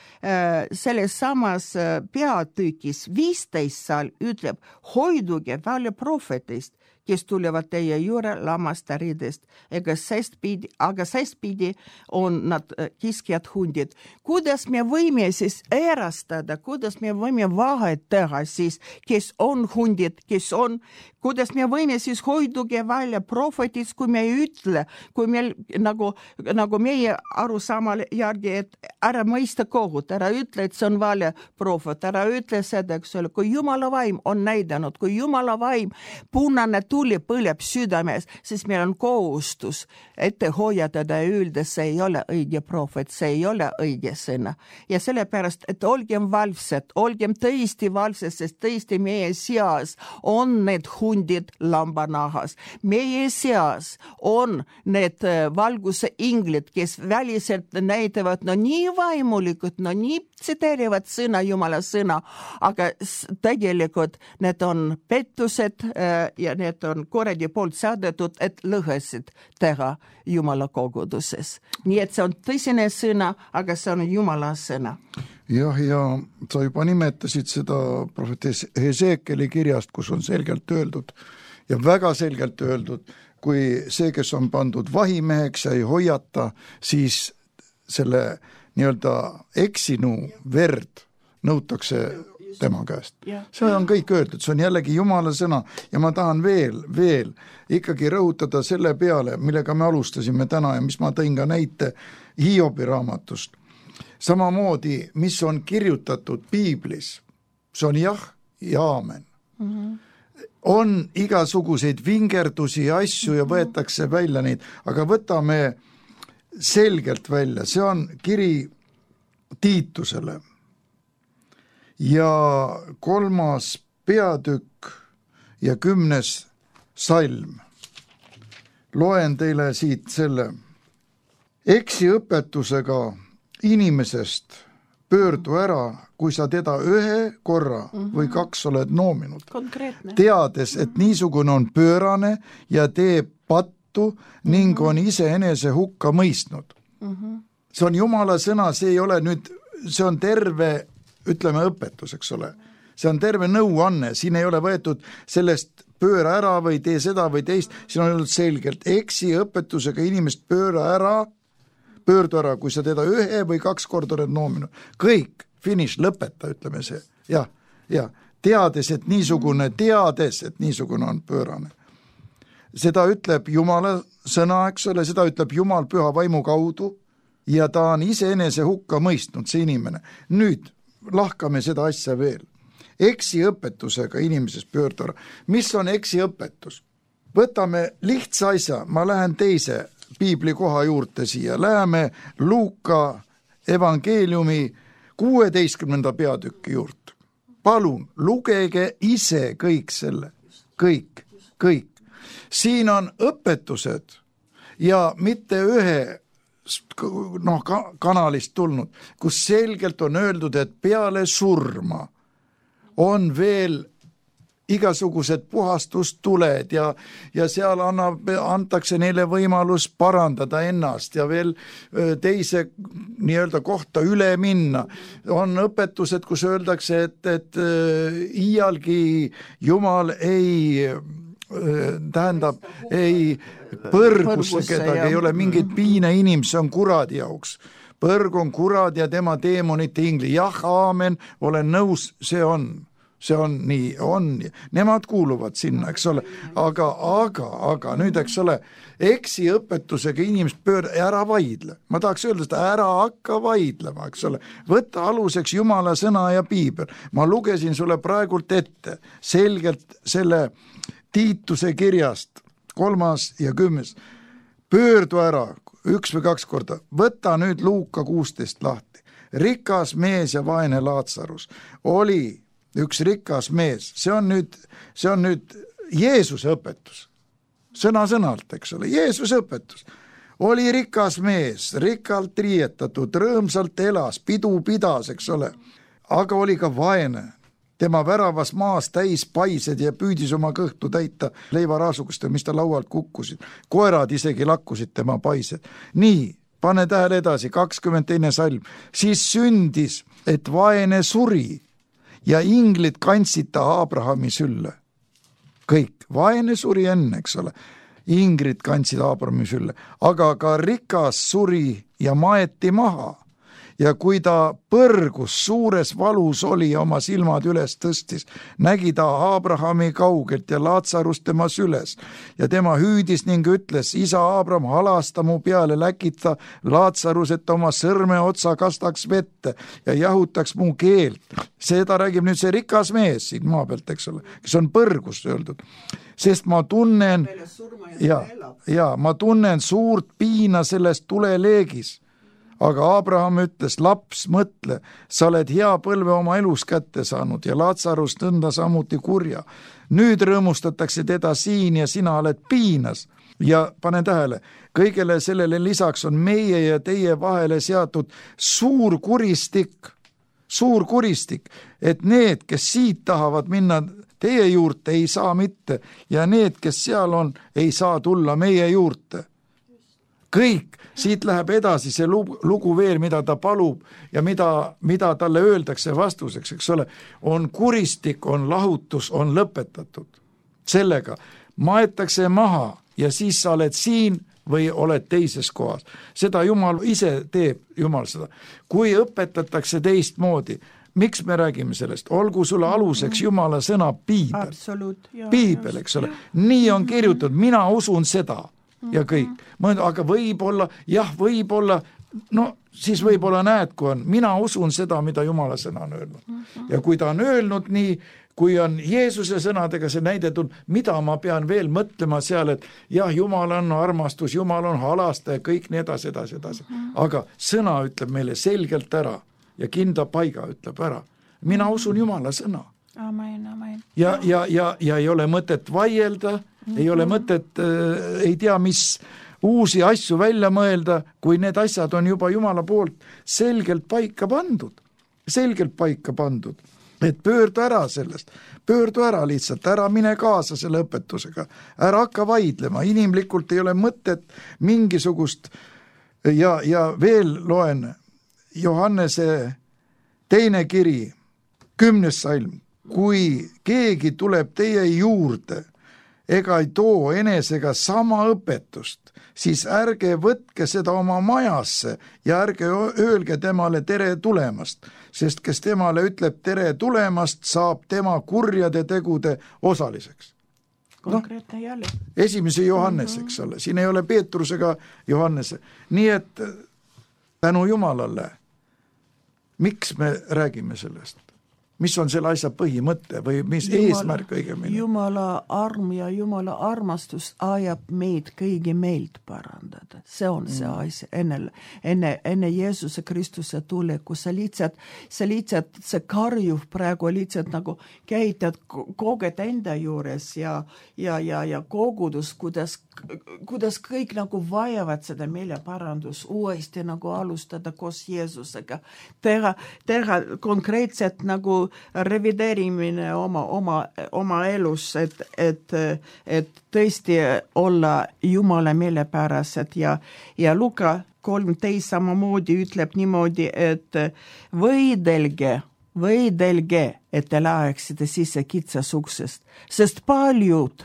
samas peatükis 15 seal ütleb, hoiduge välja prohvetist, kes tulevad teie juurde lammastaridest, aga sestpidi on nad kiskjad hundid. Kuidas me võime siis erastada, kuidas me võime vahet teha siis, kes on hundid, kes on, kuidas me võime siis hoiduge välja prohvetist, kui me ei ütle, kui meil nagu meie arusaamale järgi, et ära mõista kohut, ära ütle, et see on vale prohvet, ära ütle seda, eks ole, kui Jumala vaim on näidanud, kui Jumala vaim punane tuli põleb südames, siis meil on kohustus ette hoiatada ja öelda, see ei ole õige prohvet, see ei ole õige sõna. Ja sellepärast, et olgem valvsed, olgem tõesti valvsed, sest tõesti meie seas on need hundid lambanahas. Meie seas on need valguse inglid, kes väliselt näitavad nii vaimulikud, nii tsiteerivad sõna, Jumala sõna, aga tegelikult need on pettused ja need on korradi poolt saadetud, et lõhesid teha Jumala koguduses. Nii et see on tõsine sõna, aga see on Jumala sõna. Jah, ja sa juba nimetasid seda prohvet Heseekeli kirjast, kus on selgelt öeldud ja väga selgelt öeldud, kui see, kes on pandud vahimeheks ja ei hoiata, siis selle nii-öelda eksinu verd nõutakse tema käest. See on kõik öeldud, see on jällegi Jumala sõna ja ma tahan veel ikkagi rõhutada selle peale, millega me alustasime täna ja mis ma tõin ka näite Hiobi raamatust. Samamoodi, mis on kirjutatud piiblis, see on jah ja aamen. On igasuguseid vingerdusi ja asju ja võetakse välja neid, aga võtame selgelt välja, see on kiri Tiitusele ja 3. peatükk ja 10. salm. Loen teile siit selle. Eksiõpetusega inimesest pöördu ära, kui sa teda ühe korra või 2 oled noominud. Konkreetne. Teades, et niisugune on pöörane ja teeb pattu ning on iseenese hukka mõistnud. See on Jumala sõna, see ei ole nüüd, see on terve, ütleme, õpetus, eks ole. See on terve nõuanne, siin ei ole võetud sellest pööra ära või tee seda või teist, siin on öeldud selgelt, eksiõpetusega inimest pöördu ära, kui sa teda 1 või 2 korda oled noominud. Kõik, finish, lõpeta, ütleme see. Ja, teades, et niisugune on pöörane. Seda ütleb Jumala sõna, eks ole, seda ütleb Jumal püha vaimu kaudu ja ta on iseenese hukka mõistnud, see inimene. Nüüd lahkame seda asja veel. Eksiõpetusega inimesest pöördu ära. Mis on eksiõpetus? Võtame lihtsa asja, ma lähen teise piibli koha juurde siia, läheme Luuka evangeeliumi 16. peatüki juurde. Palun, lugege ise kõik selle, kõik. Siin on õpetused ja mitte ühe kanalist tulnud, kus selgelt on öeldud, et peale surma on veel igasugused puhastustuled ja seal antakse neile võimalus parandada ennast ja veel teise nii-öelda kohta üle minna. On õpetused, kus öeldakse, et iialgi Jumal ei põrgusse kedagi, ei ole mingit piine inimese, on kuradi jaoks. Põrg on kurad ja tema teemonite ingli. Jah, aamen, olen nõus, see on nii, on. Nemad kuuluvad sinna, eks ole. Aga nüüd, eks ole, eksi õpetusega inimest ära vaidle. Ma tahaks öelda seda, ära hakka vaidlema, eks ole. Võtta aluseks Jumala sõna ja piibel. Ma lugesin sulle praegult ette selgelt selle Tiituse kirjast 3. ja 10. Pöördu ära 1 või 2 korda. Võta nüüd Luuka 16 lahti. Rikas mees ja vaene Laatsarus oli üks rikas mees. See on nüüd Jeesuse õpetus. Sõna-sõnalt, eks ole. Jeesuse õpetus. Oli rikas mees, rikkalt riietatud, rõõmsalt elas, pidu pidas, eks ole. Aga oli ka vaene. Tema väravas maas täis paised ja püüdis oma kõhtu täita leivaraasukust, mis ta laualt kukkusid. Koerad isegi lakkusid tema paised. Nii, pane tähele edasi, 22. salm. Siis sündis, et vaene suri ja inglid kandsid ta Abrahami sülle. Kõik, vaene suri enne, eks ole. Ingrid kandsid Abrahami sülle, aga ka rikas suri ja maeti maha. Ja kui ta põrgus suures valus oli ja oma silmad üles tõstis, nägi ta Abrahami kaugelt ja Laatsarust tema süles. Ja tema hüüdis ning ütles, isa Abraham, halasta mu peale, läkita Laatsarus, et oma sõrme otsa kastaks vette ja jahutaks mu keelt. Seda räägib nüüd see rikas mees siin maa pealt, eks ole, kes on põrgus öeldud. Sest ma tunnen, ma tunnen suurt piina sellest tuleleegis. Aga Abraham ütles, laps, mõtle, sa oled hea põlve oma elus kätte saanud ja Laatsarus nõnda samuti kurja. Nüüd rõõmustatakse teda siin ja sina oled piinas. Ja pane tähele, kõigele sellele lisaks on meie ja teie vahele seatud suur kuristik, et need, kes siit tahavad minna teie juurde, ei saa mitte ja need, kes seal on, ei saa tulla meie juurde. Kõik, siit läheb edasi see lugu veel, mida ta palub ja mida talle öeldakse vastuseks, eks ole, on kuristik, on lahutus, on lõpetatud. Sellega maetakse maha ja siis sa oled siin või oled teises kohas. Seda Jumal ise teeb, Jumal seda. Kui õpetatakse teistmoodi, miks me räägime sellest? Olgu sulle aluseks Jumala sõna piibel. Piibel, eks ole. Nii on kirjutatud, mina usun seda. Ja kõik. Aga võib-olla, no siis võib-olla näed, kui on. Mina usun seda, mida Jumala sõna on öelnud. Ja kui ta on öelnud nii, kui on Jeesuse sõnadega see näidetud, mida ma pean veel mõtlema seal, et jah, Jumal on armastus, Jumal on halastaja, kõik nii edasi. Aga sõna ütleb meile selgelt ära ja kinda paiga ütleb ära. Mina usun Jumala sõna. Amen. Ja ei ole mõtet vaielda, ei ole mõtet, ei tea, mis uusi asju välja mõelda, kui need asjad on juba Jumala poolt selgelt paika pandud. Et pöördu ära sellest, pöördu ära lihtsalt, ära mine kaasa selle õpetusega, ära hakka vaidlema, inimlikult ei ole mõtet mingisugust ja veel loen Johannese 2. kiri, 10. salm. Kui keegi tuleb teie juurde ega ei too enesega sama õpetust, siis ärge võtke seda oma majasse ja ärge öelge temale tere tulemast, sest kes temale ütleb tere tulemast, saab tema kurjade tegude osaliseks. Konkreetne jälle. 1. Johannes, eks ole, siin ei ole Peetrusega Johannese. Nii et tänu Jumalale, miks me räägime sellest? mis on selle asja põhimõte või mis eesmärk õigemini? Jumala arm ja Jumala armastus ajab meid kõigi meelt parandada. See on see asja enne Jeesuse Kristuse tuleku. Sa lihtsalt see karjuv praegu lihtsalt nagu käitad koged enda juures ja kogudus, kuidas kõik nagu vajavad seda meeleparandus uuesti nagu alustada koos Jeesusega. Teha konkreetselt nagu revideerimine oma elus, et tõesti olla Jumala meelepärased ja Luka 13 samamoodi ütleb niimoodi, et võidelge, et te läheksite sisse kitsas uksest, sest paljud,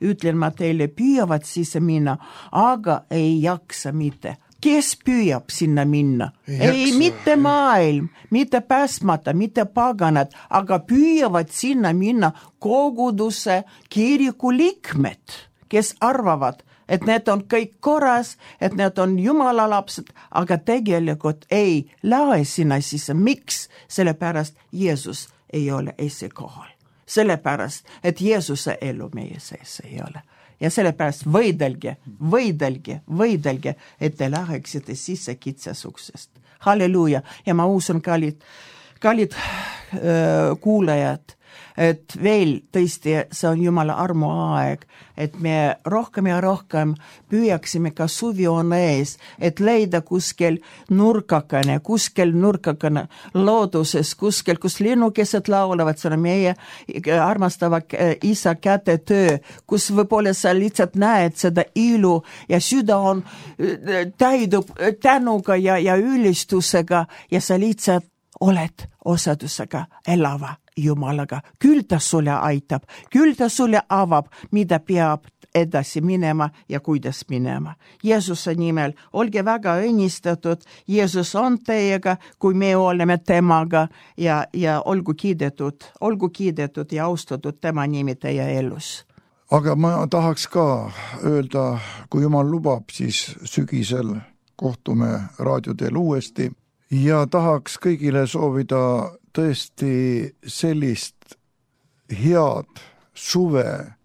ütlen ma teile, püüavad sisse minna, aga ei jaksa mitte. Kes püüab sinna minna? Ei, mitte maailm, mitte päästmata, mitte paganad, aga püüavad sinna minna koguduse kiriku liikmed, kes arvavad, et need on kõik korras, et need on Jumala lapsed, aga tegelikult ei lähe sinna sisse. Miks? Sellepärast Jeesus ei ole esikohal. Sellepärast, et Jeesuse elu meie sees ei ole. Ja sellepärast võidelge, et te läheksite sisse kitsas uksest. Halleluuja. Ja ma usun, kallid kuulajad, et veel tõesti see on Jumala armu aeg, et me rohkem ja rohkem püüaksime ka suvi on ees, et leida kuskil nurkakane looduses, kuskil, kus linnukesed laulavad, see on meie armastava isa kätetöö, kus võib-olla sa lihtsalt näed seda ilu ja süda on täidub tänuga ja ülistusega ja sa lihtsalt oled osadusega elava Jumalaga. Küll ta sulle aitab, küll ta sulle avab, mida peab edasi minema ja kuidas minema. Jeesuse nimel olge väga õnnistatud, Jeesus on teiega, kui me oleme temaga ja olgu kiidetud ja austatud tema nimi teie elus. Aga ma tahaks ka öelda, kui Jumal lubab, siis sügisel kohtume raadioteel uuesti ja tahaks kõigile soovida tõesti sellist head suve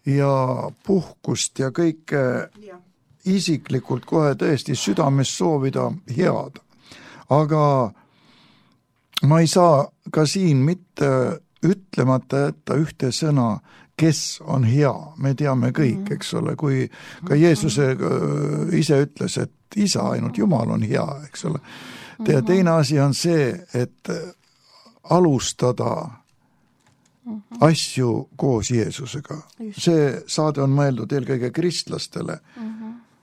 ja puhkust ja kõike isiklikult kohe tõesti südames soovida head. Aga ma ei saa ka siin mitte ütlemata jätta ühte sõna, kes on hea. Me teame kõik, eks ole, kui ka Jeesuse ise ütles, et isa, ainult Jumal on hea, eks ole. Ja teine asi on see, et alustada asju koos Jeesusega. See saade on mõeldud eelkõige kristlastele,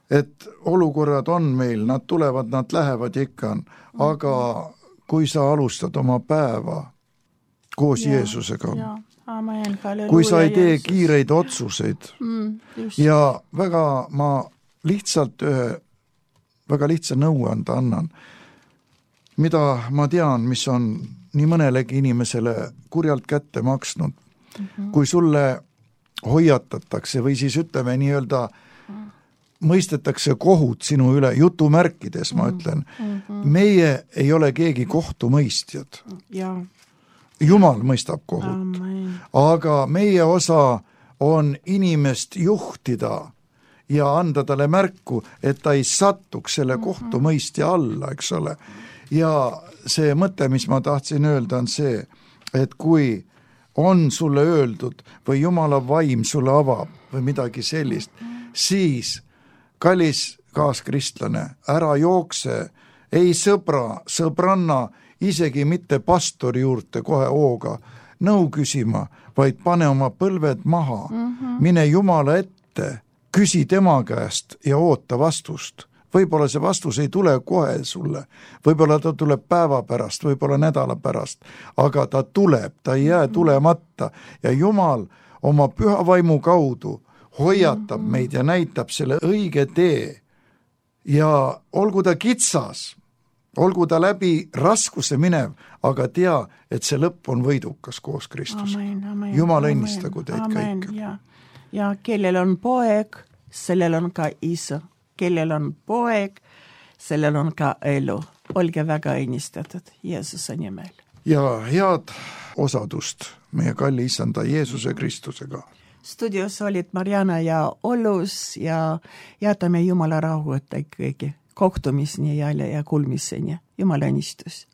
et olukorrad on meil, nad tulevad, nad lähevad ikka, aga kui sa alustad oma päeva koos Jeesusega, kui sa ei tee kiireid otsuseid ja ma lihtsalt ühe väga lihtsa nõuande annan, mida ma tean, mis on nii mõnelegi inimesele kurjalt kätte maksnud. Kui sulle hoiatatakse või siis ütleme nii-öelda mõistetakse kohut sinu üle, jutumärkides ma ütlen, meie ei ole keegi kohtumõistjad. Jumal mõistab kohut, aga meie osa on inimest juhtida ja anda talle märku, et ta ei satuks selle kohtumõistja alla, eks ole. Ja see mõte, mis ma tahtsin öelda, on see, et kui on sulle öeldud või Jumala vaim sulle avab või midagi sellist, siis kallis kaaskristlane, ära jookse, ei sõbranna, isegi mitte pastori juurde kohe hooga nõu küsima, vaid pane oma põlved maha, mine Jumala ette, küsi tema käest ja oota vastust. Võib-olla see vastus ei tule kohe sulle, võib-olla ta tuleb päeva pärast, võib-olla nädala pärast, aga ta tuleb, ta ei jää tulemata ja Jumal oma püha vaimu kaudu hoiatab meid ja näitab selle õige tee ja olgu ta kitsas, olgu ta läbi raskuse minev, aga tea, et see lõpp on võidukas koos Kristusega. Jumal õnnistagu teid kõik. Ja kellel on poeg, sellel on ka isa. Kellel on poeg, sellel on ka elu. Olge väga õnnistatud Jeesuse nimel. ja head osadust meie kalli issanda Jeesuse Kristusega. Studios olid Mariana ja Ollus ja jätame Jumala rahu, että ikkagi kohtumiseni ja kuulmiseni. Jumala õnnistus.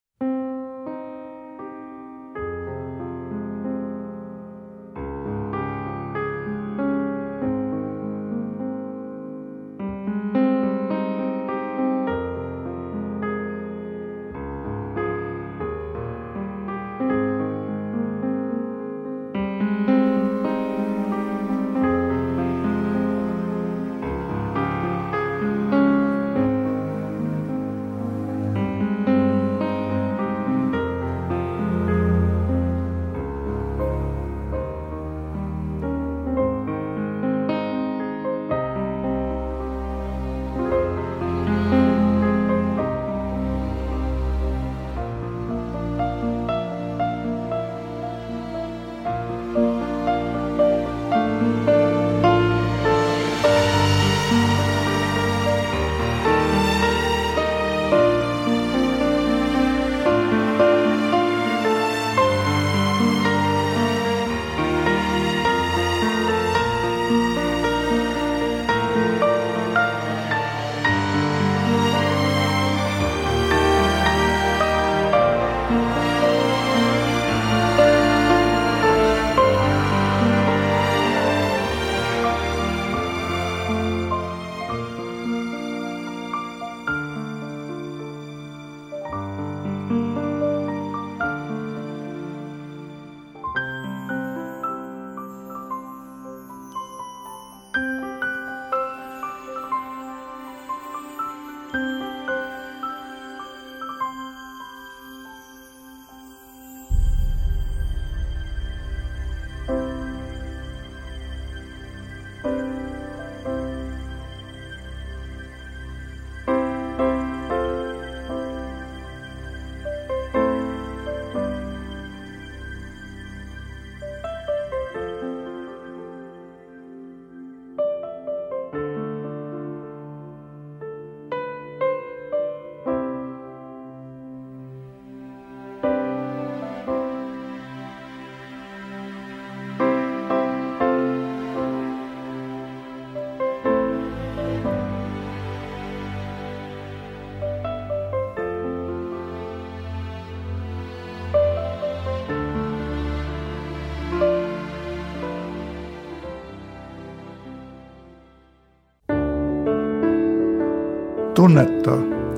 Tunneta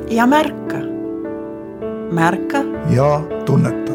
ja märka. Märka ja tunneta.